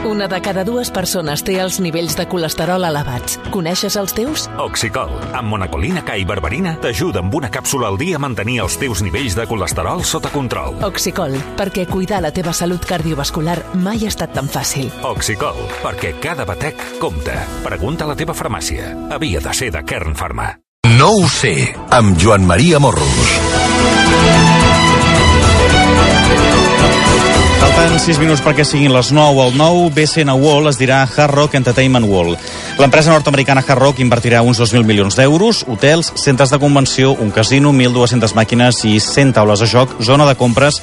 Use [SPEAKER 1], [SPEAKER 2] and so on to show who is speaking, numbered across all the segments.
[SPEAKER 1] Una de cada dues persones té els nivells de colesterol elevats. Coneixes els teus?
[SPEAKER 2] Oxicol, amb monacolina K i berberina, t'ajuda amb una càpsula al dia a mantenir els teus nivells de colesterol sota control.
[SPEAKER 1] Oxicol, perquè cuidar la teva salut cardiovascular mai ha estat tan fàcil.
[SPEAKER 2] Oxicol, perquè cada batec compta. Pregunta a la teva farmàcia. Havia de ser de Kern Pharma.
[SPEAKER 3] No ho sé, amb Joan Maria Morros.
[SPEAKER 4] Falten 6 minuts perquè siguin les 9. El nou BCN World es dirà Hard Rock Entertainment World. L'empresa nord-americana Hard Rock invertirà uns 2.000 milions d'euros, hotels, centres de convenció, un casino, 1.200 màquines i 100 taules de joc, zona de compres,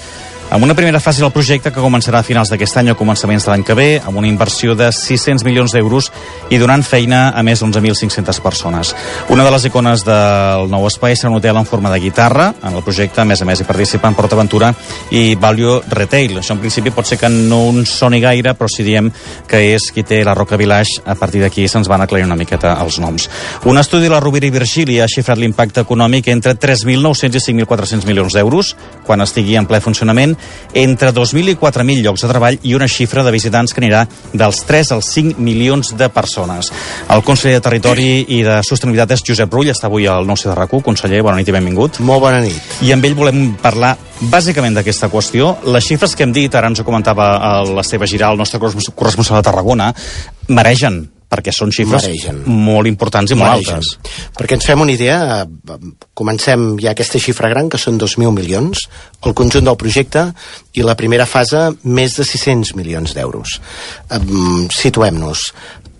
[SPEAKER 4] amb una primera fase del projecte que començarà a finals d'aquest any o començaments de l'any que ve, amb una inversió de 600 milions d'euros i donant feina a més d'11.500 persones. Una de les icones del nou espai serà un hotel en forma de guitarra. En el projecte, a més hi participen PortAventura i Value Retail. Això en principi pot ser que no ens soni gaire, però si diem que és qui té la Roca Village, a partir d'aquí se'ns van aclarir una miqueta els noms. Un estudi de la Rovira i Virgili ha xifrat l'impacte econòmic entre 3.900 i 5.400 milions d'euros quan estigui en ple funcionament, entre 2.000 i 4.000 llocs de treball i una xifra de visitants que anirà dels 3 als 5 milions de persones. El conseller de Territori i de Sostenibilitat és Josep Rull, està avui al 9C de RAC1. Conseller, bona nit i benvingut.
[SPEAKER 5] Molt bona nit.
[SPEAKER 4] I amb ell volem parlar bàsicament d'aquesta qüestió. Les xifres que hem dit, ara ens ho comentava l'Esteve Giral, el nostre corresponsal de Tarragona, maregen, perquè són xifres molt importants i molt altes.
[SPEAKER 5] Perquè ens fem una idea, comencem ja aquesta xifra gran, que són 2.000 milions, el conjunt del projecte, i la primera fase, més de 600 milions d'euros. Situem-nos.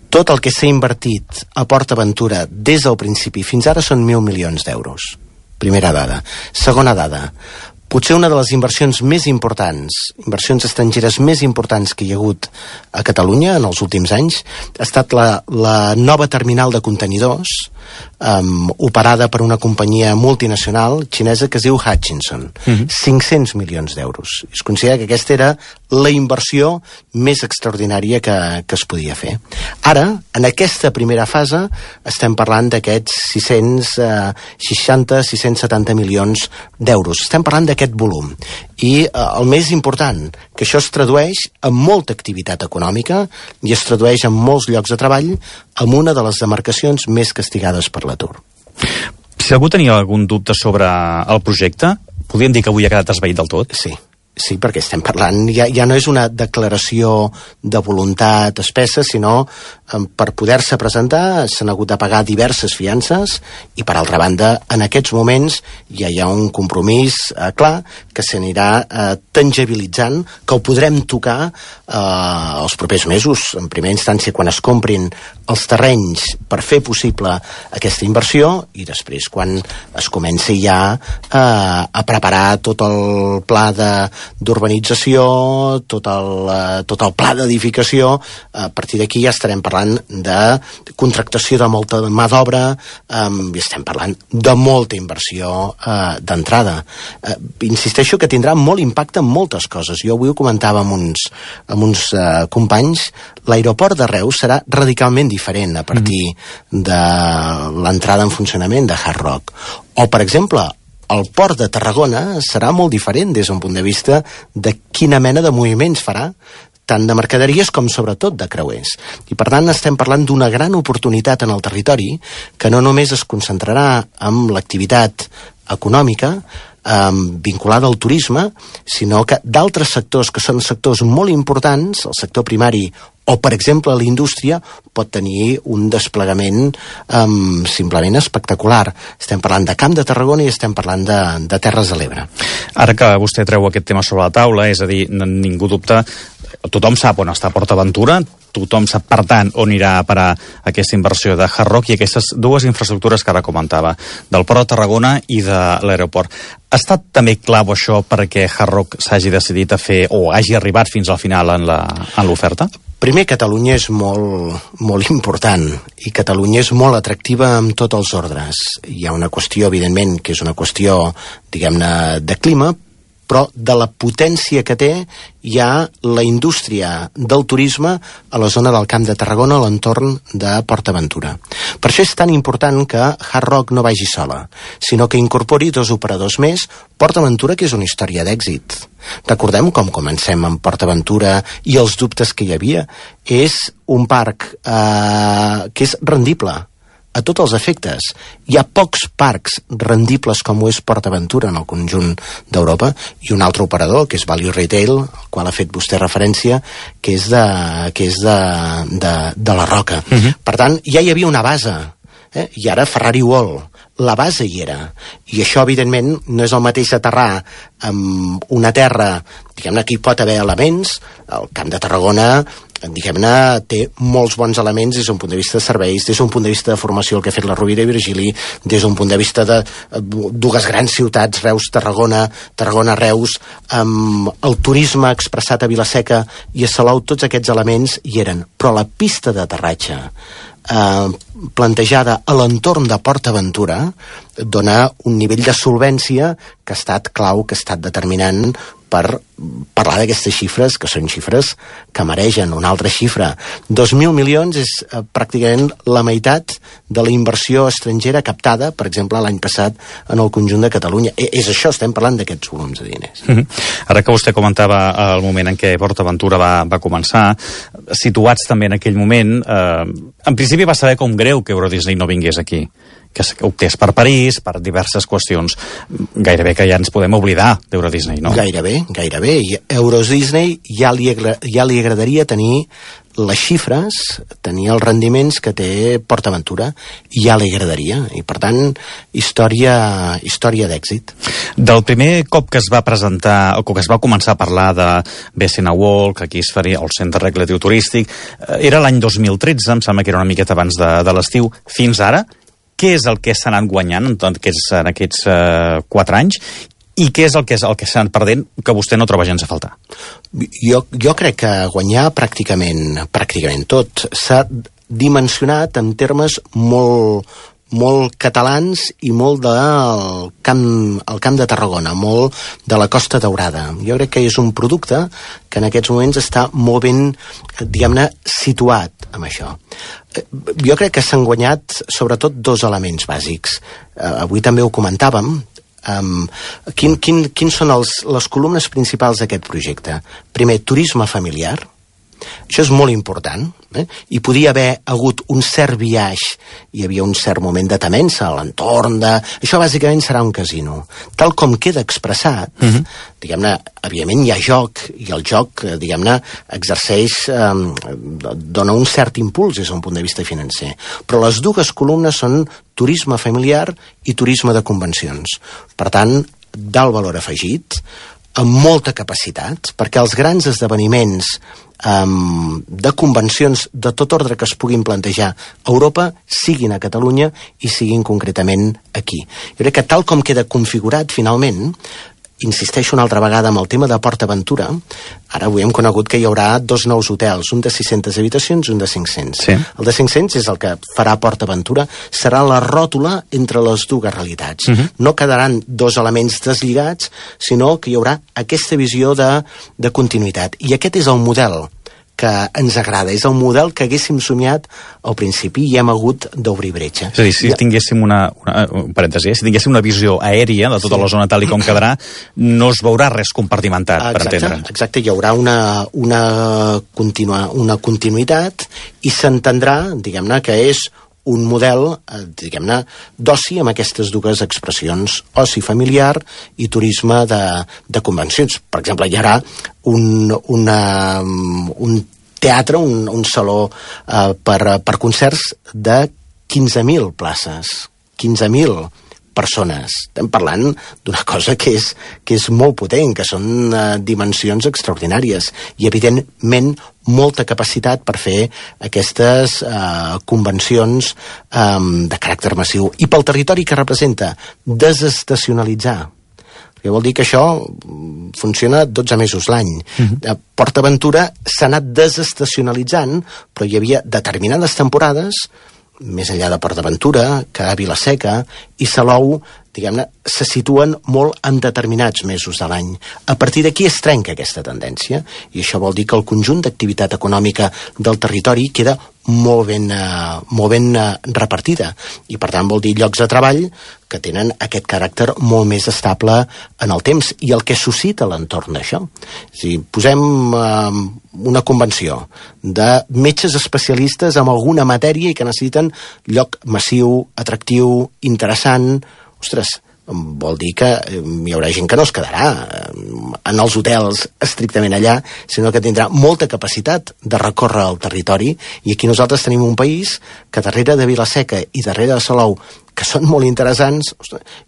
[SPEAKER 5] Tot el que s'ha invertit a PortAventura des del principi fins ara són 1.000 milions d'euros. Primera dada. Segona dada. Potser una de les inversions més importants, inversions estrangeres més importants que hi ha hagut a Catalunya en els últims anys, ha estat la nova terminal de contenidors operada per una companyia multinacional xinesa que es diu Hutchinson. 500 milions d'euros. Es considera que aquesta era la inversió més extraordinària que es podia fer. Ara, en aquesta primera fase, estem parlant d'aquests 660-670 milions d'euros. Estem parlant d'aquest volum. I el més important, que això es tradueix en molta activitat econòmica i es tradueix en molts llocs de treball en una de les demarcacions més castigades per l'atur.
[SPEAKER 4] Si algú tenia algun dubte sobre el projecte, podríem dir que avui ha quedat esvaït del tot?
[SPEAKER 5] Sí, perquè estem parlant, ja no és una declaració de voluntat espessa, sinó per poder-se presentar s'han hagut de pagar diverses fiances i, per altra banda, en aquests moments ja hi ha un compromís clar que s'anirà tangibilitzant, que ho podrem tocar els propers mesos, en primera instància quan es comprin els terrenys per fer possible aquesta inversió i després quan es comenci ja a preparar tot el pla d'urbanització, tot el pla d'edificació. A partir d'aquí ja estarem parlant de contractació de molta mà d'obra i estem parlant de molta inversió d'entrada. Insisteixo que tindrà molt impacte en moltes coses. Jo avui ho comentava amb uns companys. L'aeroport de Reus serà radicalment diferent a partir de l'entrada en funcionament de Hard Rock. O, per exemple, el port de Tarragona serà molt diferent des d'un punt de vista de quina mena de moviments farà, tant de mercaderies com sobretot de creuers. I per tant estem parlant d'una gran oportunitat en el territori que no només es concentrarà en l'activitat econòmica vinculada al turisme, sinó que d'altres sectors que són sectors molt importants, el sector primari o, per exemple, la indústria, pot tenir un desplegament simplement espectacular. Estem parlant de Camp de Tarragona i estem parlant de Terres de l'Ebre.
[SPEAKER 4] Ara que vostè treu aquest tema sobre la taula, és a dir, ningú dubta, tothom sap on està PortAventura, tothom sap, per tant, on irà a parar aquesta inversió de Hard Rock i aquestes dues infraestructures que ara comentava, del Port de Tarragona i de l'aeroport. Ha estat també clau això perquè Hard Rock s'hagi decidit a fer, o hagi arribat fins al final en l'oferta?
[SPEAKER 5] Primer, Catalunya és molt important i Catalunya és molt atractiva amb tots els ordres. Hi ha una qüestió, evidentment, que és una qüestió, diguem-ne, de clima, però de la potència que té ja la indústria del turisme a la zona del Camp de Tarragona, a l'entorn de PortAventura. Per això és tan important que Hard Rock no vagi sola, sinó que incorpori 2 operadors més, PortAventura, que és una història d'èxit. Recordem com comencem amb PortAventura i els dubtes que hi havia. És un parc que és rendible a tots els efectes. Hi ha pocs parcs rendibles com ho és PortAventura en el conjunt d'Europa, i un altre operador, que és Value Retail, al qual ha fet vostè referència, que és de la Roca. Per tant, ja hi havia una base, i ara Ferrari World, la base hi era, i això evidentment no és el mateix aterrar amb una terra, diguem-ne, que hi pot haver elements. El Camp de Tarragona, diguem-ne, té molts bons elements des d'un punt de vista de serveis, des d'un punt de vista de formació, el que ha fet la Rovira i Virgili, des d'un punt de vista de 2 grans ciutats, Reus-Tarragona, Tarragona-Reus, amb el turisme expressat a Vilaseca i a Salou, tots aquests elements hi eren. Però la pista d'aterratge plantejada a l'entorn de PortAventura dona un nivell de solvència que ha estat clau, que ha estat determinant per parlar d'aquestes xifres, que són xifres que mereixen una altra xifra. 2.000 milions és pràcticament la meitat de la inversió estrangera captada, per exemple, l'any passat en el conjunt de Catalunya. És això, estem parlant d'aquests volums de diners.
[SPEAKER 4] Ara que vostè comentava el moment en què PortAventura va començar, situats també en aquell moment, en principi va saber com greu que Euro Disney no vingués aquí, que optés per París, per diverses qüestions. Gairebé que ja ens podem oblidar d'Euro Disney, no?
[SPEAKER 5] Gairebé. I Euro Disney ja li agradaria tenir les xifres, tenir els rendiments que té PortAventura, ja li agradaria. I, per tant, història d'èxit.
[SPEAKER 4] Del primer cop que es va presentar, o que es va començar a parlar de BCN World, que aquí es faria el centre recreatiu turístic, era l'any 2013, em sembla que era una miqueta abans de l'estiu. Fins ara, què és el que s'ha anat guanyant en aquests 4 anys i què és el que s'ha anat perdent que vostè no troba gens a faltar?
[SPEAKER 5] Jo crec que guanyar pràcticament tot s'ha dimensionat en termes molt catalans i molt del camp de Tarragona, molt de la Costa Daurada. Jo crec que és un producte que en aquests moments està molt ben, diguem-ne, situat amb això. Jo crec que s'han guanyat sobretot 2 elements bàsics. Avui també ho comentàvem. Quins són les columnes principals d'aquest projecte? Primer, turisme familiar. Això és molt important, i podia haver hagut un cert biaix, hi havia un cert moment de temença a l'entorn de... Això bàsicament serà un casino. Tal com queda expressat, diguem-ne, evidentment hi ha joc, i el joc, diguem-ne, exerceix, dona un cert impuls des d'un punt de vista financer. Però les 2 columnes són turisme familiar i turisme de convencions. Per tant, d'alt valor afegit, amb molta capacitat, perquè els grans esdeveniments de convencions de tot ordre que es puguin plantejar a Europa siguin a Catalunya i siguin concretament aquí. Jo crec que tal com queda configurat finalment, insisteixo una altra vegada amb el tema de PortAventura, ara avui hem conegut que hi haurà 2 nous hotels, un de 600 habitacions i un de 500.
[SPEAKER 4] Sí.
[SPEAKER 5] El de 500 és el que farà PortAventura, serà la ròtula entre les 2 realitats. No quedaran 2 elements deslligats, sinó que hi haurà aquesta visió de continuïtat. I aquest és el model que ens agrada, és el model que haguéssim somiat al principi i hem hagut d'obrir bretxa.
[SPEAKER 4] És a dir, si tinguéssim un parèntesi, si tinguéssim una visió aèria de tota la zona tal i com quedarà, no es veurà res compartimentat, per entendre.
[SPEAKER 5] Exacte, hi haurà una continuïtat i s'entendrà, diguem-ne, que és un model, diguem-ne, d'oci amb aquestes 2 expressions, oci familiar i turisme de convencions. Per exemple, hi haurà un teatre, un saló per concerts de 15.000 places, 15.000 persones. Estem parlant d'una cosa que és molt potent, que són dimensions extraordinàries i, evidentment, molta capacitat per fer aquestes convencions de caràcter massiu. I pel territori que representa, desestacionalitzar. Que vol dir que això funciona 12 mesos l'any. PortAventura s'ha anat desestacionalitzant, però hi havia determinades temporades, més enllà de PortAventura, que a Vilaseca i Salou, diguem-ne, se situen molt en determinats mesos de l'any. A partir d'aquí es trenca aquesta tendència, i això vol dir que el conjunt d'activitat econòmica del territori queda molt ben repartida, i per tant vol dir llocs de treball que tenen aquest caràcter molt més estable en el temps, i el que suscita l'entorn d'això. És a dir, posem una convenció de metges especialistes en alguna matèria i que necessiten lloc massiu, atractiu, interessant. Ostres, vol dir que hi haurà gent que no es quedarà en els hotels estrictament allà, sinó que tindrà molta capacitat de recórrer el territori, i aquí nosaltres tenim un país que darrere de Vila-seca i darrere de Salou, que són molt interessants,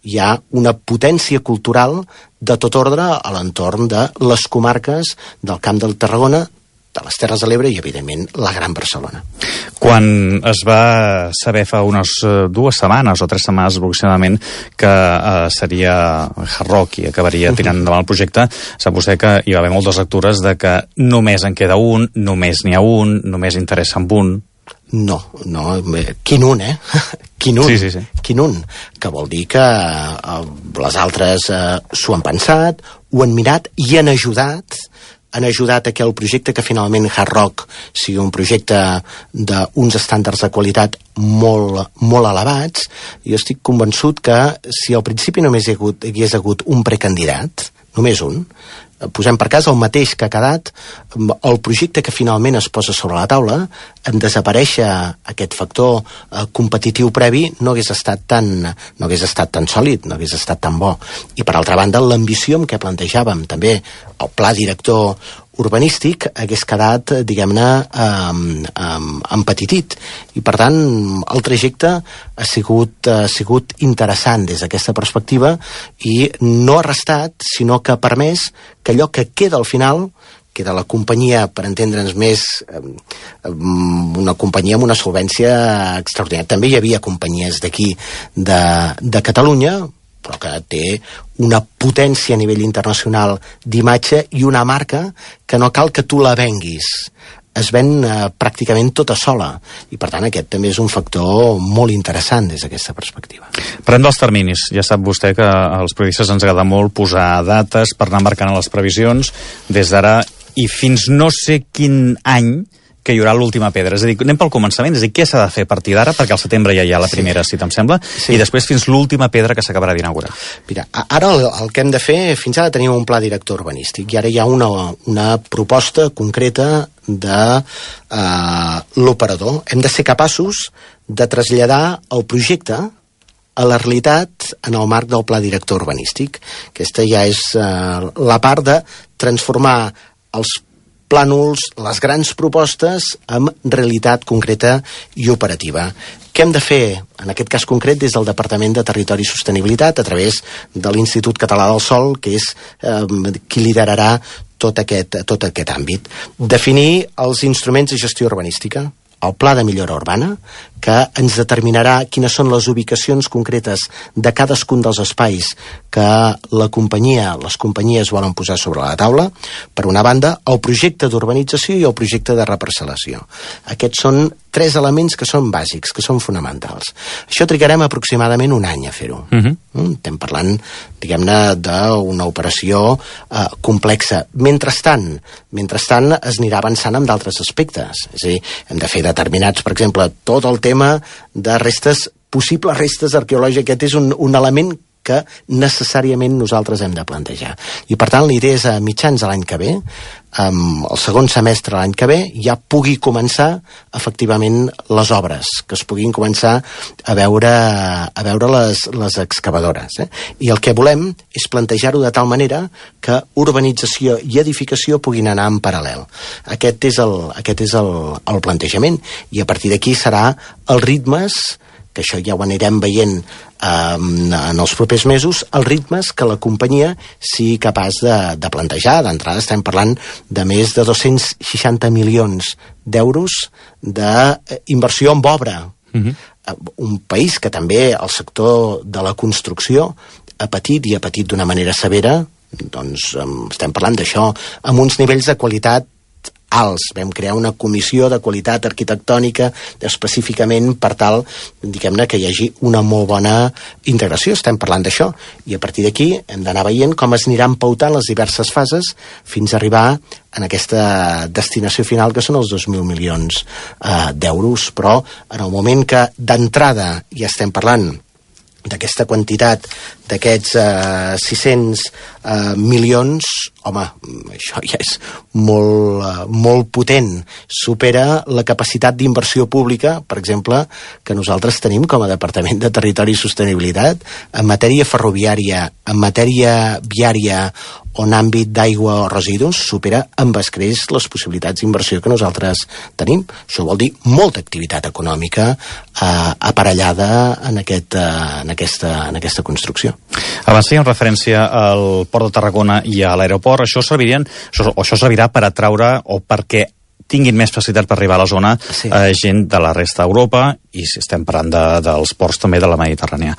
[SPEAKER 5] hi ha una potència cultural de tot ordre a l'entorn de les comarques del Camp del Tarragona, de les Terres de l'Ebre i, evidentment, la Gran Barcelona.
[SPEAKER 4] Quan es va saber fa unes 2 setmanes o 3 setmanes aproximadament que seria Hard Rock i acabaria tirant endavant el projecte, sap vostè que hi va haver moltes lectures de que només en queda un, només n'hi ha un, només interessa amb un.
[SPEAKER 5] No, quin un, Quin un,
[SPEAKER 4] sí.
[SPEAKER 5] Quin un, que vol dir que les altres s'ho han pensat, ho han mirat i han ajudat a que el projecte, que finalment Hard Rock sigui un projecte d'uns estàndards de qualitat molt elevats. Jo estic convençut que si al principi només hi hagués hagut un precandidat, només un, posem per cas el mateix que ha quedat, el projecte que finalment es posa sobre la taula, en desaparèixer aquest factor competitiu previ, no hagués estat tan sòlid, no hagués estat tan bo. I per altra banda, l'ambició amb què plantejàvem també el pla director urbanístic hagués quedat, diguem-ne, empetitit. I per tant, el trajecte ha sigut interessant des d'aquesta perspectiva, i no ha restat, sinó que ha permès que allò que queda al final, queda la companyia, per entendre'ns més, una companyia amb una solvència extraordinària. També hi havia companyies d'aquí, de Catalunya, però que té una potència a nivell internacional d'imatge i una marca que no cal que tu la venguis. Es ven pràcticament tota sola, i per tant aquest també és un factor molt interessant des d'aquesta perspectiva.
[SPEAKER 4] Parlem dels terminis. Ja sap vostè que als periodistes ens agrada molt posar dates per anar marcant les previsions des d'ara i fins no sé quin any que hi haurà l'última pedra. És a dir, anem pel començament, és a dir, què s'ha de fer a partir d'ara, perquè al setembre ja hi ha la primera cita, em sembla, i després fins l'última pedra que s'acabarà d'inaugurar.
[SPEAKER 5] Mira, ara el que hem de fer, fins ara tenim un pla director urbanístic, i ara hi ha una proposta concreta de l'operador. Hem de ser capaços de traslladar el projecte a la realitat en el marc del pla director urbanístic. Aquesta ja és la part de transformar els plànols, les grans propostes, amb realitat concreta i operativa. Què hem de fer, en aquest cas concret, des del Departament de Territori i Sostenibilitat, a través de l'Institut Català del Sòl, que és qui liderarà tot aquest àmbit? Definir els instruments de gestió urbanística, el pla de millora urbana, que ens determinarà quines són les ubicacions concretes de cadascun dels espais que les companyies volen posar sobre la taula. Per una banda, el projecte d'urbanització i el projecte de reparcel·lació. Aquests són 3 elements que són bàsics, que són fonamentals. Això trigarem aproximadament un any a fer-ho. Estem parlant, diguem-ne, d'una operació complexa. Mentrestant es anirà avançant amb d'altres aspectes. És a dir, hem de fer determinats, per exemple, tot el tema de possibles restes arqueològiques. Aquest és un element que necessàriament nosaltres hem de plantejar. I per tant, la idea és a mitjans de l'any que ve, el segon semestre de l'any que ve, ja pugui començar efectivament les obres, que es puguin començar a veure les excavadores. I el que volem és plantejar-ho de tal manera que urbanització i edificació puguin anar en paral·lel. Aquest és el plantejament, i a partir d'aquí serà els ritmes, que això ja ho anirem veient en els propers mesos, els ritmes que la companyia sigui capaç de plantejar. D'entrada estem parlant de més de 260 milions d'euros d'inversió en obra. Un país que també el sector de la construcció ha patit, i ha patit d'una manera severa. Doncs estem parlant d'això amb uns nivells de qualitat alts. Vam crear una comissió de qualitat arquitectònica específicament per tal, diguem-ne, que hi hagi una molt bona integració. Estem parlant d'això. I a partir d'aquí hem d'anar veient com es aniran pautant les diverses fases fins a arribar en aquesta destinació final, que són els 2.000 milions d'euros. Però en el moment que d'entrada ja estem parlant d'aquesta quantitat, d'aquests 600 milions, home, això ja és molt potent. Supera la capacitat d'inversió pública, per exemple, que nosaltres tenim com a Departament de Territori i Sostenibilitat en matèria ferroviària, en matèria viària o en àmbit d'aigua o residus, supera amb escreix les possibilitats d'inversió que nosaltres tenim. Això vol dir molta activitat econòmica aparellada en aquesta construcció.
[SPEAKER 4] Abans fèiem referència al Port de Tarragona i a l'aeroport. Això servirà per atraure o perquè tinguin més facilitat per arribar a la zona gent de la resta d'Europa, i si estem parlant dels ports també de la Mediterrània.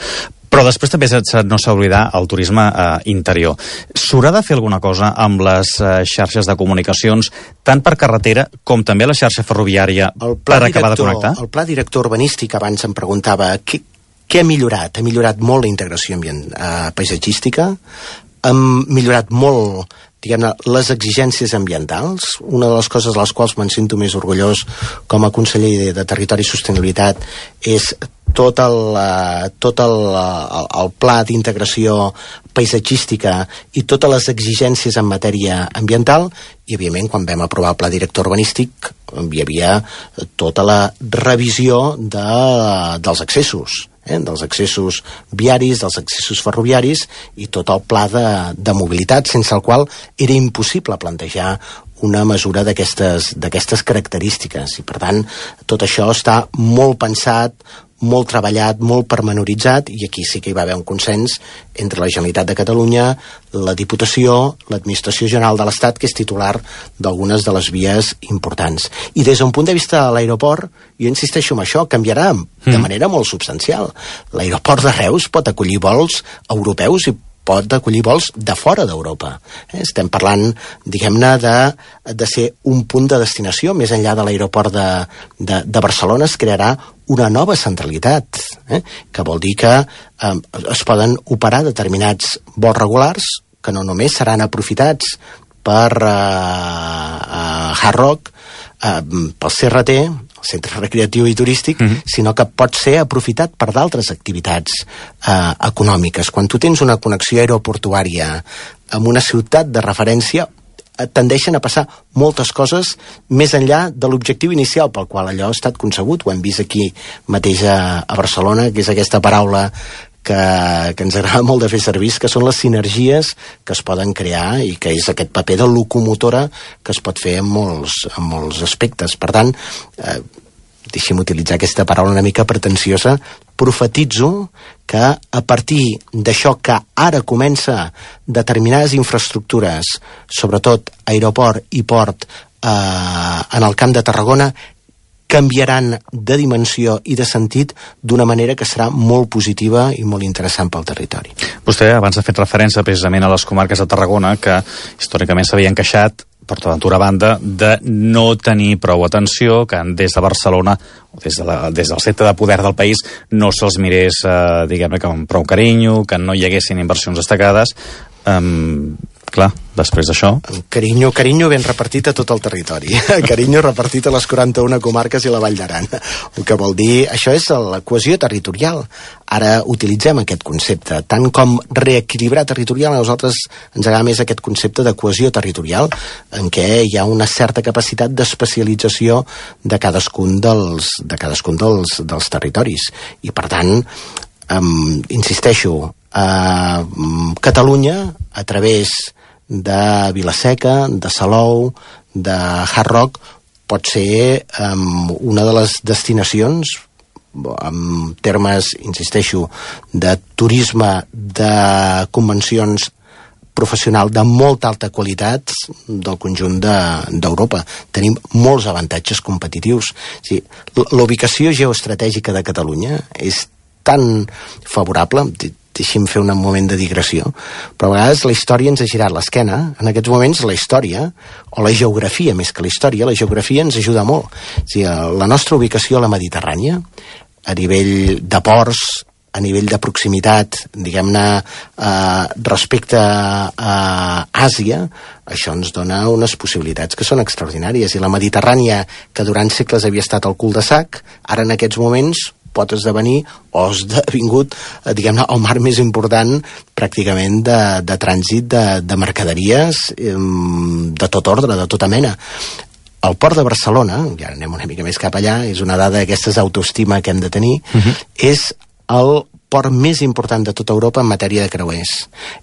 [SPEAKER 4] Però després també no s'ha d'oblidar el turisme interior. S'haurà de fer alguna cosa amb les xarxes de comunicacions, tant per carretera com també la xarxa ferroviària, per acabar de connectar?
[SPEAKER 5] El pla director urbanístic, abans em preguntava què ha millorat? Ha millorat molt la integració paisatgística, hem millorat molt, diguem-ne, les exigències ambientals. Una de les coses de les quals me'n sento més orgullós com a conseller de Territori i Sostenibilitat és tot el pla d'integració paisatgística i totes les exigències en matèria ambiental, i evidentment quan vam aprovar el pla director urbanístic hi havia tota la revisió dels accessos, dels accessos viaris, dels accessos ferroviaris i tot el pla de mobilitat, sense el qual era impossible plantejar una mesura d'aquestes característiques. I per tant, tot això està molt pensat, molt treballat, molt pormenoritzat, i aquí sí que hi va haver un consens entre la Generalitat de Catalunya, la Diputació, l'Administració General de l'Estat, que és titular d'algunes de les vies importants. I des d'un punt de vista de l'aeroport, jo insisteixo en això, canviarà de manera molt substancial. L'aeroport de Reus pot acollir vols europeus i pot acollir vols de fora d'Europa. Estem parlant, diguem-ne, de ser un punt de destinació. Més enllà de l'aeroport de Barcelona es crearà una nova centralitat, que vol dir que es poden operar determinats vols regulars que no només seran aprofitats per Hard Rock, pel CRT, el Centre Recreatiu i Turístic, sinó que pot ser aprofitat per d'altres activitats econòmiques. Quan tu tens una connexió aeroportuària amb una ciutat de referència, tendeixen a passar moltes coses més enllà de l'objectiu inicial pel qual allò ha estat concebut. Ho hem vist aquí mateix a Barcelona, que és aquesta paraula que ens agrada molt de fer servir, que són les sinergies que es poden crear i que és aquest paper de locomotora que es pot fer en molts aspectes. Per tant, deixi'm utilitzar aquesta paraula una mica pretensiosa, profetitzo que a partir d'això que ara comença determinades infraestructures, sobretot aeroport i port en el Camp de Tarragona, canviaran de dimensió i de sentit d'una manera que serà molt positiva i molt interessant pel territori.
[SPEAKER 4] Vostè abans ha fet referència precisament a les comarques de Tarragona, que històricament s'havien queixat, PortAventura a banda, de no tenir prou atenció, que des de Barcelona o des del centre de poder del país no se'ls mirés, diguem-ne, amb prou carinyo, que no hi haguessin inversions destacades. Clar, després d'això...
[SPEAKER 5] Carinyo ben repartit a tot el territori. Carinyo repartit a les 41 comarques i la Vall d'Aran. El que vol dir... Això és la cohesió territorial. Ara utilitzem aquest concepte. Tant com reequilibrar territorial, a nosaltres ens agrada més aquest concepte de cohesió territorial, en què hi ha una certa capacitat d'especialització de cadascun dels territoris. I, per tant, insisteixo, Catalunya, a través de Vila-seca, de Salou, de Hard Rock, pot ser una de les destinacions en termes, insisteixo, de turisme, de convencions professional de molta alta qualitat del conjunt d'Europa. Tenim molts avantatges competitius. O sigui, la ubicació geoestratègica de Catalunya és tan favorable. deixi'm fer un moment de digressió, però a vegades la història ens ha girat l'esquena. En aquests moments la història, o la geografia més que la història, la geografia ens ajuda molt. O sigui, la nostra ubicació a la Mediterrània, a nivell de ports, a nivell de proximitat, diguem-ne, respecte a Àsia, això ens dona unes possibilitats que són extraordinàries. I la Mediterrània, que durant segles havia estat el cul de sac, ara en aquests moments pot esdevenir o ha esdevingut, diguem-ne, el mar més important pràcticament de trànsit de mercaderies de tot ordre, de tota mena. El port de Barcelona, ja anem una mica més cap allà, és una dada d'aquestes autoestima que hem de tenir, és el port més important de tota Europa en matèria de creuers.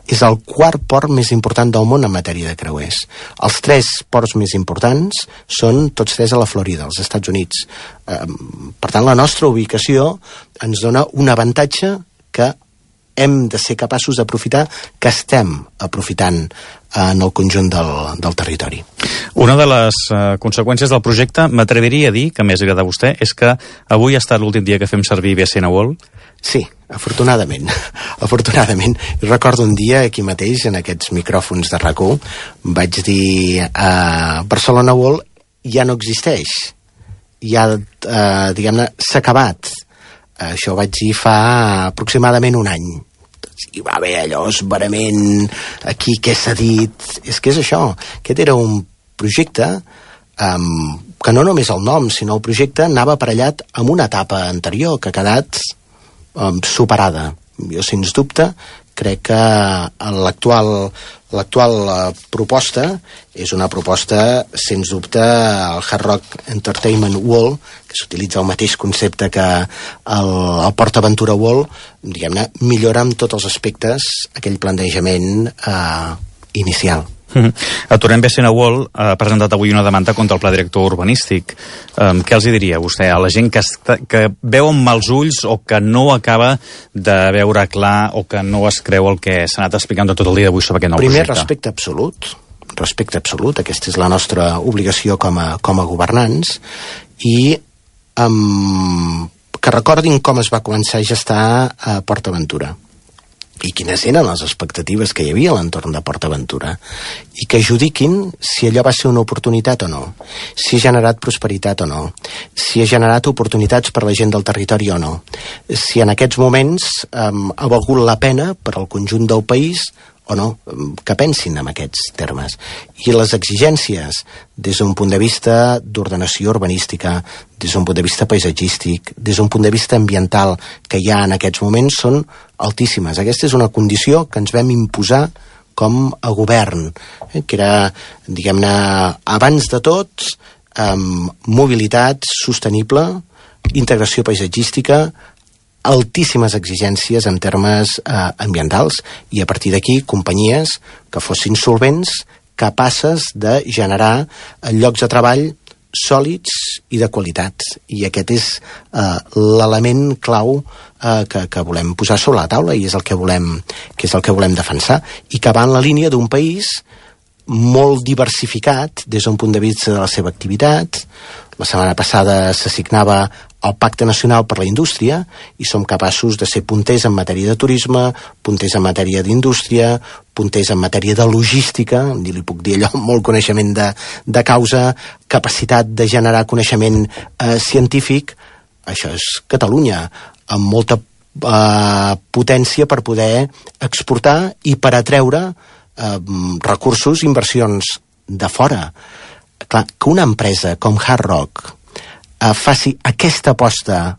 [SPEAKER 5] És el quart port més important del món en matèria de creuers. Els 3 ports més importants són tots 3 a la Florida, als Estats Units. Per tant, la nostra ubicació ens dona un avantatge que hem de ser capaços d'aprofitar, que estem aprofitant en el conjunt del territori.
[SPEAKER 4] Una de les conseqüències del projecte, m'atreviria a dir, que més agrada a vostè, és que avui ha estat l'últim dia que fem servir BCN World.
[SPEAKER 5] Sí, afortunadament. Afortunadament. Recordo un dia aquí mateix, en aquests micròfons de RAC1, vaig dir Barcelona World ja no existeix. Ja, diguem-ne, s'ha acabat. Això ho vaig dir fa aproximadament un any. Hi va haver allò esverament, aquí què s'ha dit... És que és això. Aquest era un projecte que no només el nom, sinó el projecte anava aparellat amb una etapa anterior que ha quedat superada. Jo, sens dubte, crec que l'actual proposta és una proposta, sens dubte, el Hard Rock Entertainment World, que s'utilitza el mateix concepte que el PortAventura World, diguem-ne, millora en tots els aspectes aquell plantejament inicial.
[SPEAKER 4] Aturem BCN World ha presentat avui una demanda contra el pla director urbanístic. Què els diria vostè a la gent que veu amb mals ulls o que no acaba de veure clar o que no es creu el que s'ha anat explicant tot el dia d'avui sobre aquest nou projecte?
[SPEAKER 5] Primer, respecte absolut, aquesta és la nostra obligació com a governants, i que recordin com es va començar a gestar a PortAventura i quines eren les expectatives que hi havia a l'entorn de PortAventura, i que judiquin si allò va ser una oportunitat o no, si ha generat prosperitat o no, si ha generat oportunitats per la gent del territori o no, si en aquests moments ha valgut la pena per al conjunt del país o no, que pensin en aquests termes. I les exigències des d'un punt de vista d'ordenació urbanística, des d'un punt de vista paisatgístic, des d'un punt de vista ambiental que hi ha en aquests moments són altíssimes. Aquesta és una condició que ens vam imposar com a govern, que era, diguem-ne, abans de tot, mobilitat sostenible, integració paisatgística, altíssimes exigències en termes ambientals, i a partir d'aquí companyies que fossin solvents, capaces de generar llocs de treball sòlids i de qualitat. I aquest és l'element clau que volem posar sobre la taula, i és el que volem defensar, i que va en la línia d'un país molt diversificat des d'un punt de vista de la seva activitat. La setmana passada s'assignava el Pacte Nacional per la Indústria, i som capaços de ser punters en matèria de turisme, punters en matèria d'indústria, punters en matèria de logística, li puc dir allò, molt coneixement de causa, capacitat de generar coneixement científic. Això és Catalunya, amb molta potència per poder exportar i per atreure recursos, inversions de fora. Clar, que una empresa com Hard Rock faci aquesta aposta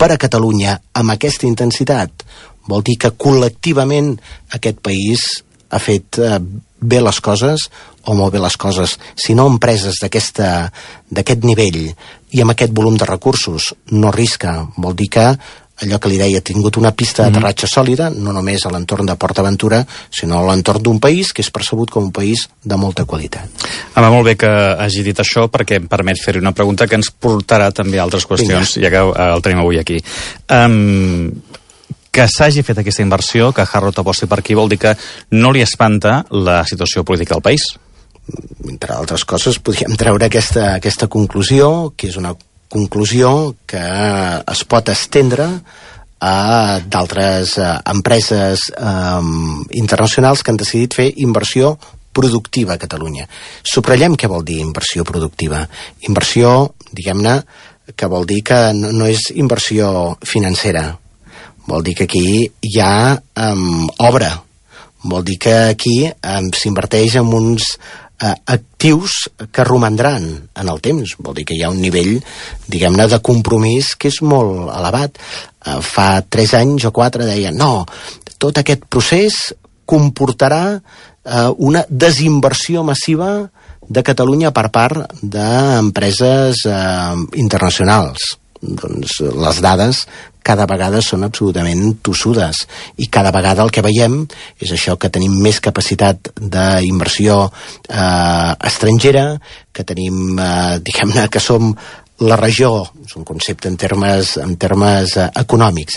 [SPEAKER 5] per a Catalunya amb aquesta intensitat, vol dir que col·lectivament aquest país ha fet bé les coses o molt bé les coses. Si no, empreses d'aquest nivell i amb aquest volum de recursos no arrisca, vol dir que allò que li deia, ha tingut una pista d'aterratge sòlida, no només a l'entorn de PortAventura, sinó a l'entorn d'un país que és percebut com un país de molta qualitat.
[SPEAKER 4] Va molt bé que hagi dit això, perquè em permet fer-hi una pregunta que ens portarà també a altres qüestions, ja que el tenim avui aquí. Que s'hagi fet aquesta inversió, que Hard Rock aposti per aquí, vol dir que no li espanta la situació política del país?
[SPEAKER 5] Entre altres coses, podríem treure aquesta conclusió, que és una conclusió que es pot estendre a d'altres empreses internacionals que han decidit fer inversió productiva a Catalunya. Subratllem què vol dir inversió productiva. Inversió, diguem-ne, que vol dir que no és inversió financera. Vol dir que aquí hi ha obra. Vol dir que aquí s'inverteix en uns actius que romandran en el temps. Vol dir que hi ha un nivell, diguem-ne, de compromís que és molt elevat. Fa 3 anys o 4 deien no, tot aquest procés comportarà una desinversió massiva de Catalunya per part d'empreses internacionals. Doncs les dades cada vegada són absolutament tossudes i cada vegada el que veiem és això, que tenim més capacitat d'inversió estrangera, que tenim, diguem-ne, que som la regió, és un concepte en termes econòmics,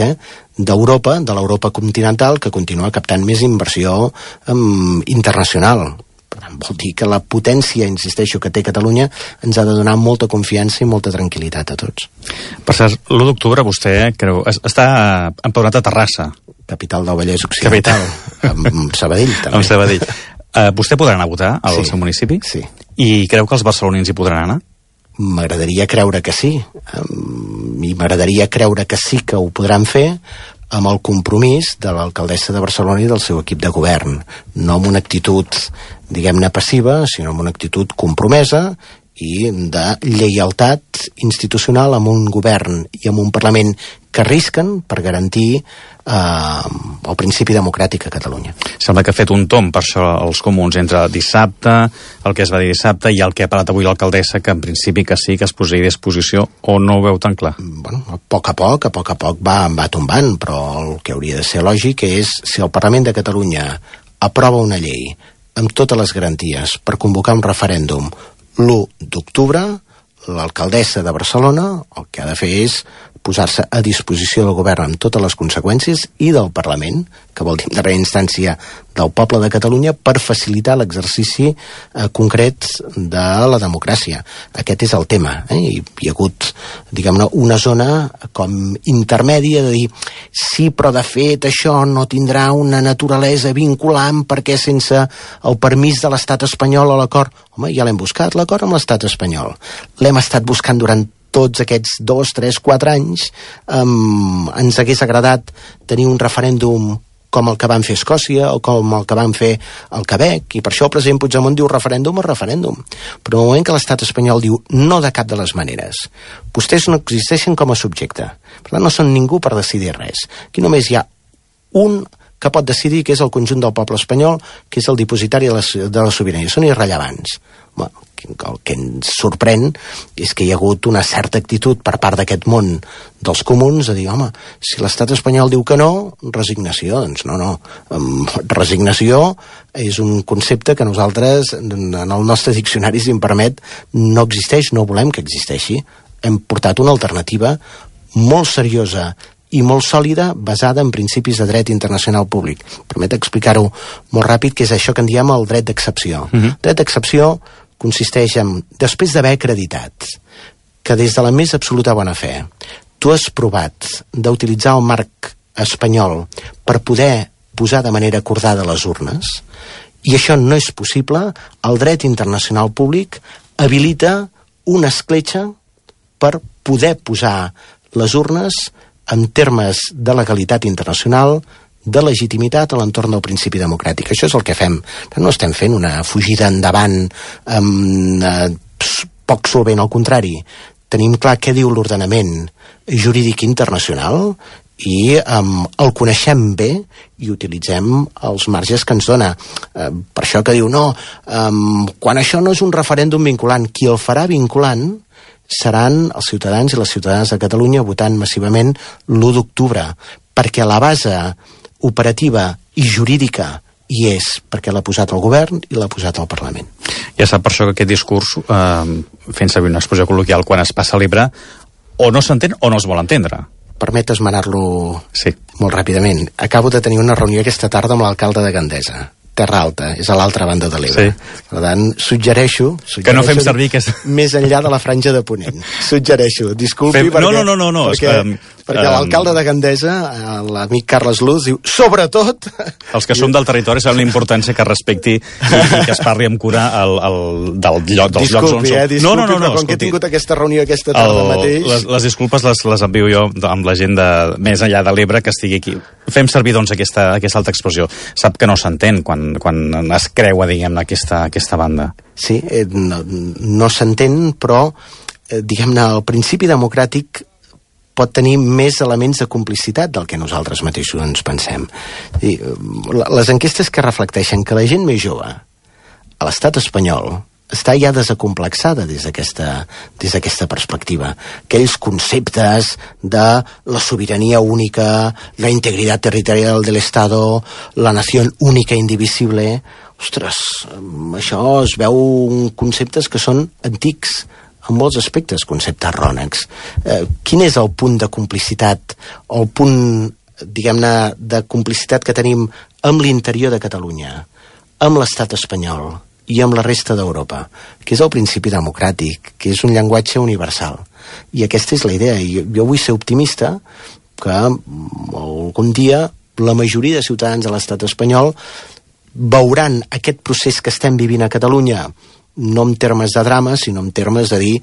[SPEAKER 5] d'Europa, de l'Europa continental, que continua captant més inversió internacional. Per tant, vol dir que la potència, insisteixo, que té Catalunya ens ha de donar molta confiança i molta tranquil·litat a tots.
[SPEAKER 4] Per cert, l'1 d'octubre vostè creu, està empadronat a Terrassa.
[SPEAKER 5] Capital del Vallès Occidental. Amb Sabadell, també.
[SPEAKER 4] Amb Sabadell. Vostè podrà anar a votar al seu municipi?
[SPEAKER 5] Sí.
[SPEAKER 4] I creu que els barcelonins hi podran anar?
[SPEAKER 5] M'agradaria creure que sí. I m'agradaria creure que sí que ho podran fer amb el compromís de l'alcaldessa de Barcelona i del seu equip de govern. No amb una actitud, diguem-ne, passiva, sinó amb una actitud compromesa i de lleialtat institucional amb un govern i amb un Parlament que arrisquen per garantir el principi democràtic a Catalunya.
[SPEAKER 4] Sembla que ha fet un tomb per això els comuns entre dissabte, el que es va dir dissabte i el que ha parlat avui l'alcaldessa, que en principi que sí que es posaria a disposició, o no ho veu tan clar?
[SPEAKER 5] Bueno, a poc a poc va tombant, però el que hauria de ser lògic és si el Parlament de Catalunya aprova una llei amb totes les garanties per convocar un referèndum l'1 d'octubre, l'alcaldessa de Barcelona el que ha de fer és posar-se a disposició del govern amb totes les conseqüències i del Parlament, que vol dir en darrera instància del poble de Catalunya, per facilitar l'exercici concret de la democràcia. Aquest és el tema. Hi ha hagut, diguem-ne, una zona com intermèdia de dir sí, però de fet això no tindrà una naturalesa vinculant perquè sense el permís de l'estat espanyol o l'acord... Home, ja l'hem buscat, l'acord amb l'estat espanyol. L'hem estat buscant durant tots aquests 2, 3, 4 anys. Ens hagués agradat tenir un referèndum com el que van fer Escòcia o com el que van fer el Quebec, i per això el president Puigdemont diu referèndum o referèndum. Però en el moment que l'estat espanyol diu no de cap de les maneres, vostès no existeixen com a subjecte, per tant no són ningú per decidir res. Aquí només hi ha un que pot decidir, que és el conjunt del poble espanyol, que és el dipositari de la sobirania. Són irrellevants. Bueno, el que ens sorprèn és que hi ha hagut una certa actitud per part d'aquest món dels comuns de dir, home, si l'estat espanyol diu que no, resignació. Doncs no. Resignació és un concepte que nosaltres, en el nostre diccionari, si em permet, no existeix, no volem que existeixi. Hem portat una alternativa molt seriosa i molt sòlida, basada en principis de dret internacional públic. Permet explicar-ho molt ràpid, que és això que en diem el dret d'excepció. Dret d'excepció consisteix en, després d'haver acreditat que des de la més absoluta bona fe tu has provat d'utilitzar el marc espanyol per poder posar de manera acordada les urnes, i això no és possible, el dret internacional públic habilita una escletxa per poder posar les urnes en termes de legalitat internacional, de legitimitat a l'entorn del principi democràtic. Això és el que fem. No estem fent una fugida endavant poc solvent, al contrari. Tenim clar què diu l'ordenament jurídic internacional i el coneixem bé i utilitzem els marges que ens dona. Per això que diu, no, quan això no és un referèndum vinculant, qui el farà vinculant seran els ciutadans i les ciutadanes de Catalunya votant massivament l'1 d'octubre, perquè la base operativa i jurídica hi és, perquè l'ha posat el govern i l'ha posat el Parlament.
[SPEAKER 4] Ja sap per això que aquest discurs, fent servir una expressió col·loquial, quan es passa libre, o no s'entén o no es vol entendre.
[SPEAKER 5] Permet esmenar-lo molt ràpidament. Acabo de tenir una reunió aquesta tarda amb l'alcalde de Gandesa Terra Alta, és a l'altra banda de l'Ebre.
[SPEAKER 4] Sí.
[SPEAKER 5] Per tant, suggereixo
[SPEAKER 4] que no fem servir
[SPEAKER 5] més enllà de la franja de Ponent. Suggereixo, disculpi, perquè l'alcalde de Gandesa, l'amic Carles Luz, diu, sobretot...
[SPEAKER 4] Els que som del territori saben la importància que es respecti i que es parli amb cura dels llocs on som.
[SPEAKER 5] Disculpi, però com que he tingut aquesta reunió aquesta tarda mateix...
[SPEAKER 4] Les disculpes les envio jo amb la gent més enllà de l'Ebre que estigui aquí. Fem servir, doncs, aquesta alta expressió. Sap que no s'entén quan es creua, diguem, aquesta banda.
[SPEAKER 5] Sí, no s'entén, però, diguem-ne, el principi democràtic pot tenir més elements de complicitat del que nosaltres mateixos ens pensem. Les enquestes que reflecteixen que la gent més jove a l'estat espanyol està ja desacomplexada des d'aquesta perspectiva. Aquells conceptes de la sobirania única, la integritat territorial de l'Estado, la nació única indivisible... Ostres, això es veu conceptes que són antics, en molts aspectes, conceptes rònecs. Quin és el punt de complicitat, el punt, diguem-ne, de complicitat que tenim amb l'interior de Catalunya, amb l'estat espanyol i amb la resta d'Europa, que és el principi democràtic, que és un llenguatge universal. I aquesta és la idea. Jo vull ser optimista que algun dia la majoria de ciutadans de l'estat espanyol veuran aquest procés que estem vivint a Catalunya, no en termes de drama, sinó en termes de dir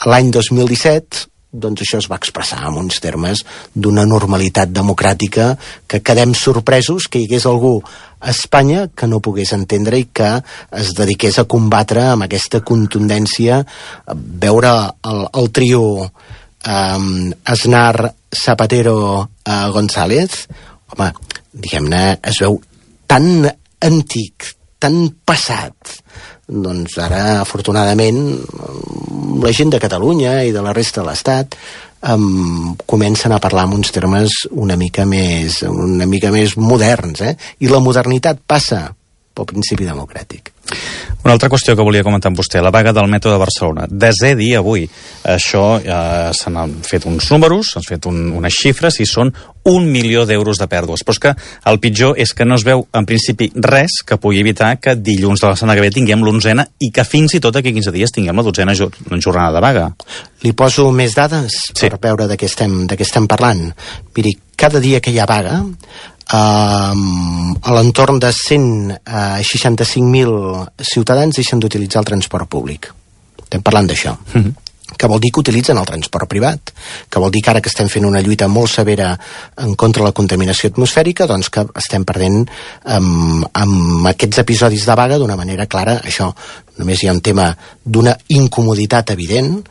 [SPEAKER 5] l'any 2017 doncs això es va expressar en uns termes d'una normalitat democràtica que quedem sorpresos que hi hagués algú a Espanya que no pogués entendre i que es dediqués a combatre amb aquesta contundència, veure el trio Aznar, Zapatero, González, home, diguem-ne, es veu tan antic, tan passat. Doncs ara, afortunadament, la gent de Catalunya i de la resta de l'Estat comencen a parlar en uns termes una mica més moderns, i la modernitat passa pel principi democràtic.
[SPEAKER 4] Una altra qüestió que volia comentar amb vostè, la vaga del metro de Barcelona. 10è dia avui. Això se n'han fet uns números, s'han fet unes xifres i són 1 milió d'euros de pèrdues. Però és que el pitjor és que no es veu en principi res que pugui evitar que dilluns de la setmana que ve tinguem l'11a i que fins i tot aquí 15 dies tinguem la 12a jornada de vaga.
[SPEAKER 5] Li poso més dades per veure de què estem parlant. Miri, cada dia que hi ha vaga, a l'entorn de 165.000 ciutadans deixen d'utilitzar el transport públic. Estem parlant d'això. Que vol dir que utilitzen el transport privat, que vol dir que ara que estem fent una lluita molt severa en contra de la contaminació atmosfèrica, doncs que estem perdent amb aquests episodis de vaga d'una manera clara. Això només hi ha un tema d'una incomoditat evident,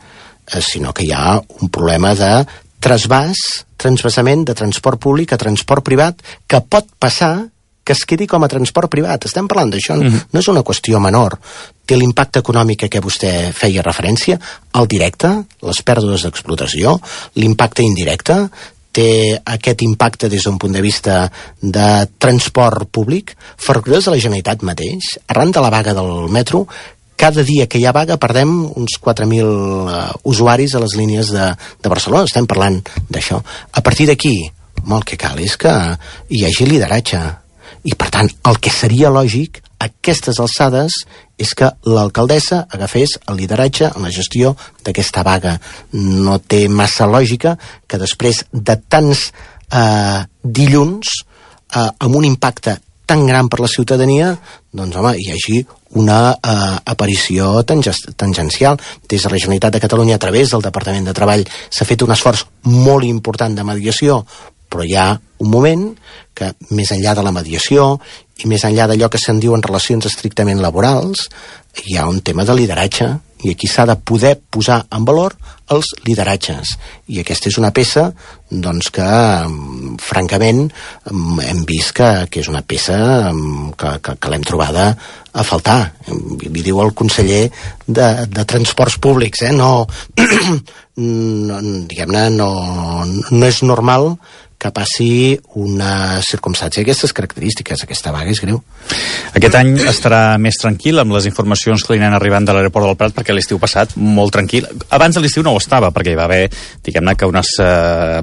[SPEAKER 5] sinó que hi ha un problema de transvasament de transport públic a transport privat que pot passar que es quedi com a transport privat. Estem parlant d'això, no és una qüestió menor. Té l'impacte econòmic a què vostè feia referència, el directe, les pèrdues d'explotació, l'impacte indirecte, té aquest impacte des d'un punt de vista de transport públic. Ferrocarrils de la Generalitat mateix, arran de la vaga del metro, cada dia que hi ha vaga perdem uns 4.000 usuaris a les línies de Barcelona. Estem parlant d'això. A partir d'aquí, el que cal és que hi hagi lideratge. I, per tant, el que seria lògic a aquestes alçades és que l'alcaldessa agafés el lideratge en la gestió d'aquesta vaga. No té massa lògica que després de tants dilluns amb un impacte tan gran per la ciutadania, doncs, home, hi hagi una aparició tangencial. Des de la Generalitat de Catalunya, a través del Departament de Treball, s'ha fet un esforç molt important de mediació, però hi ha un moment que, més enllà de la mediació i més enllà d'allò que se'n diuen relacions estrictament laborals, hi ha un tema de lideratge, i aquí s'ha de poder posar en valor els lideratges. I aquesta és una peça, doncs, que, francament, hem vist que és una peça que l'hem trobada a faltar. Li diu el conseller de Transports Públics, diguem-ne, no és normal que passi una circumstància d'aquestes característiques. Aquesta vaga és greu.
[SPEAKER 4] Aquest any estarà més tranquil amb les informacions que li anen arribant de l'aeroport del Prat, perquè l'estiu passat molt tranquil. Abans de l'estiu no ho estava, perquè hi va haver, diguem-ne, que unes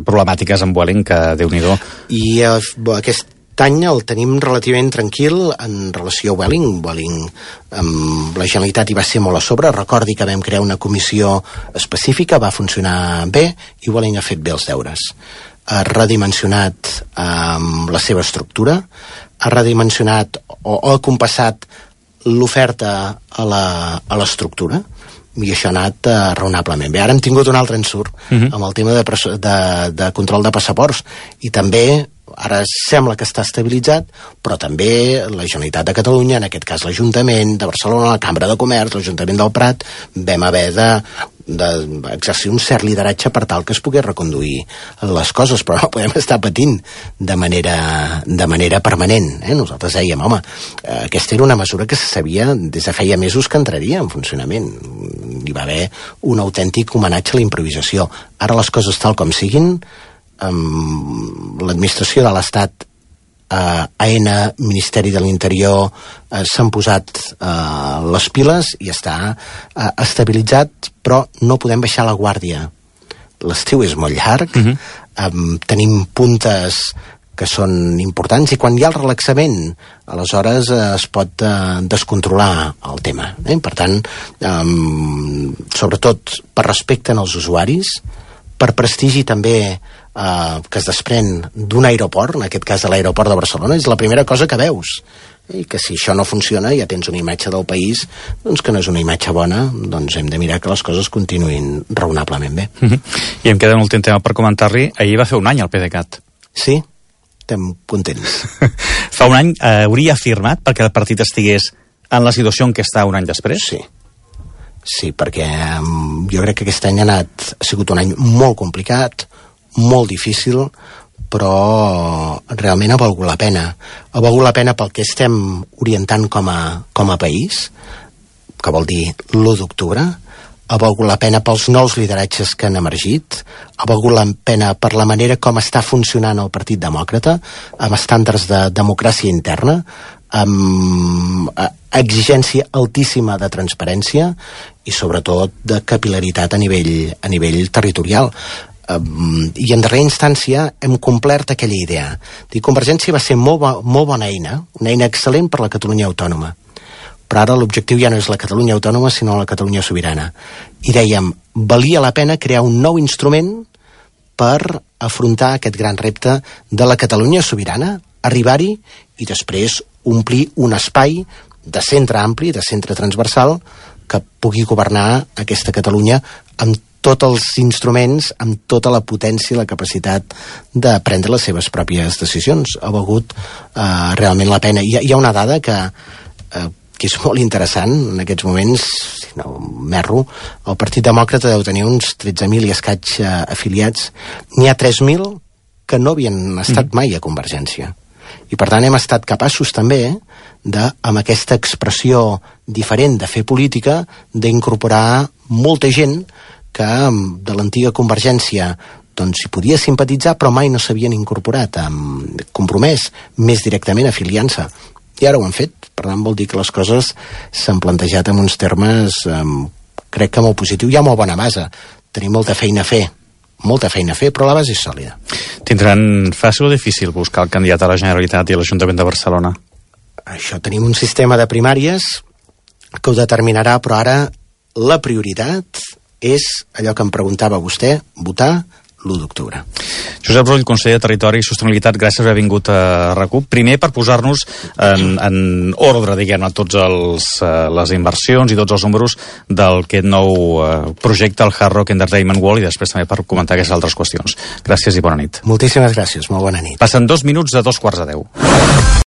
[SPEAKER 4] problemàtiques amb Vueling que Déu-n'hi-do.
[SPEAKER 5] I aquest any el tenim relativament tranquil en relació a Vueling. La Generalitat hi va ser molt a sobre. Recordi que vam crear una comissió específica, va funcionar bé i Vueling ha fet bé els deures. Ha redimensionat la seva estructura, ha redimensionat o ha compassat l'oferta a l'estructura, i això ha anat raonablement bé. Ara hem tingut un altre ensurt amb el tema de control de passaports, i també ara sembla que està estabilitzat, però també la Generalitat de Catalunya, en aquest cas l'Ajuntament de Barcelona, la Cambra de Comerç, l'Ajuntament del Prat, vam haver d'exercir un cert lideratge per tal que es pogués reconduir les coses, però no podem estar patint de manera permanent. Nosaltres dèiem, home, aquesta era una mesura que se sabia des de feia mesos que entraria en funcionament. Hi va haver un autèntic homenatge a la improvisació. Ara les coses tal com siguin, l'administració de l'Estat, AENA, Ministeri de l'Interior, s'han posat les piles i està estabilitzat, però no podem baixar la guàrdia. L'estiu és molt llarg, tenim puntes que són importants, i quan hi ha el relaxament, aleshores es pot descontrolar el tema. Per tant, sobretot per respecte als usuaris, per prestigi també que es desprèn d'un aeroport, en aquest cas de l'aeroport de Barcelona, és la primera cosa que veus. I que si això no funciona, ja tens una imatge del país doncs que no és una imatge bona, doncs hem de mirar que les coses continuïn raonablement bé.
[SPEAKER 4] I em queda un últim tema per comentar-li. Ahir va fer un any el PDeCAT.
[SPEAKER 5] Sí, estem contents.
[SPEAKER 4] Fa un any hauria afirmat perquè el partit estigués en la situació en què està un any després?
[SPEAKER 5] Sí, perquè jo crec que aquest any ha sigut un any molt complicat, molt difícil, però realment ha valgut la pena. Ha valgut la pena pel que estem orientant com a país, que vol dir l'1 d'octubre, ha valgut la pena pels nous lideratges que han emergit, ha valgut la pena per la manera com està funcionant el Partit Demòcrata, amb estàndards de democràcia interna, amb exigència altíssima de transparència i sobretot de capil·laritat a nivell territorial. I en darrera instància hem complert aquella idea. Convergència va ser molt bona eina, una eina excel·lent per la Catalunya autònoma, però ara l'objectiu ja no és la Catalunya autònoma sinó la Catalunya sobirana, i dèiem, valia la pena crear un nou instrument per afrontar aquest gran repte de la Catalunya sobirana, arribar-hi i després omplir un espai de centre ampli, de centre transversal, que pugui governar aquesta Catalunya amb tots els instruments, amb tota la potència i la capacitat de prendre les seves pròpies decisions. Ha valgut realment la pena. Hi ha una dada que és molt interessant en aquests moments, si no m'erro, el Partit Demòcrata deu tenir uns 13.000 i escaig afiliats. N'hi ha 3.000 que no havien estat mai a Convergència. I per tant hem estat capaços també amb aquesta expressió diferent de fer política, d'incorporar molta gent que de l'antiga Convergència doncs s'hi podia simpatitzar però mai no s'havien incorporat, compromès més directament afiliant-se, i ara ho han fet. Per tant vol dir que les coses s'han plantejat en uns termes crec que molt positiu. Hi ha molt bona base, tenim molta feina a fer, però la base és sòlida.
[SPEAKER 4] Tindran fàcil o difícil buscar el candidat a la Generalitat i a l'Ajuntament de Barcelona?
[SPEAKER 5] Això, tenim un sistema de primàries que ho determinarà, però ara la prioritat és allò que em preguntava vostè, votar l'1 d'octubre.
[SPEAKER 4] Josep Rull, conseller de Territori i Sostenibilitat, gràcies per haver vingut a RAC1. Primer, per posar-nos en ordre, diguem-ne, tots les inversions i tots els números d'aquest nou projecte, el Hard Rock Entertainment World, i després també per comentar aquestes altres qüestions. Gràcies i bona nit.
[SPEAKER 5] Moltíssimes gràcies, molt bona nit.
[SPEAKER 4] Passen 2 minuts de 2:15.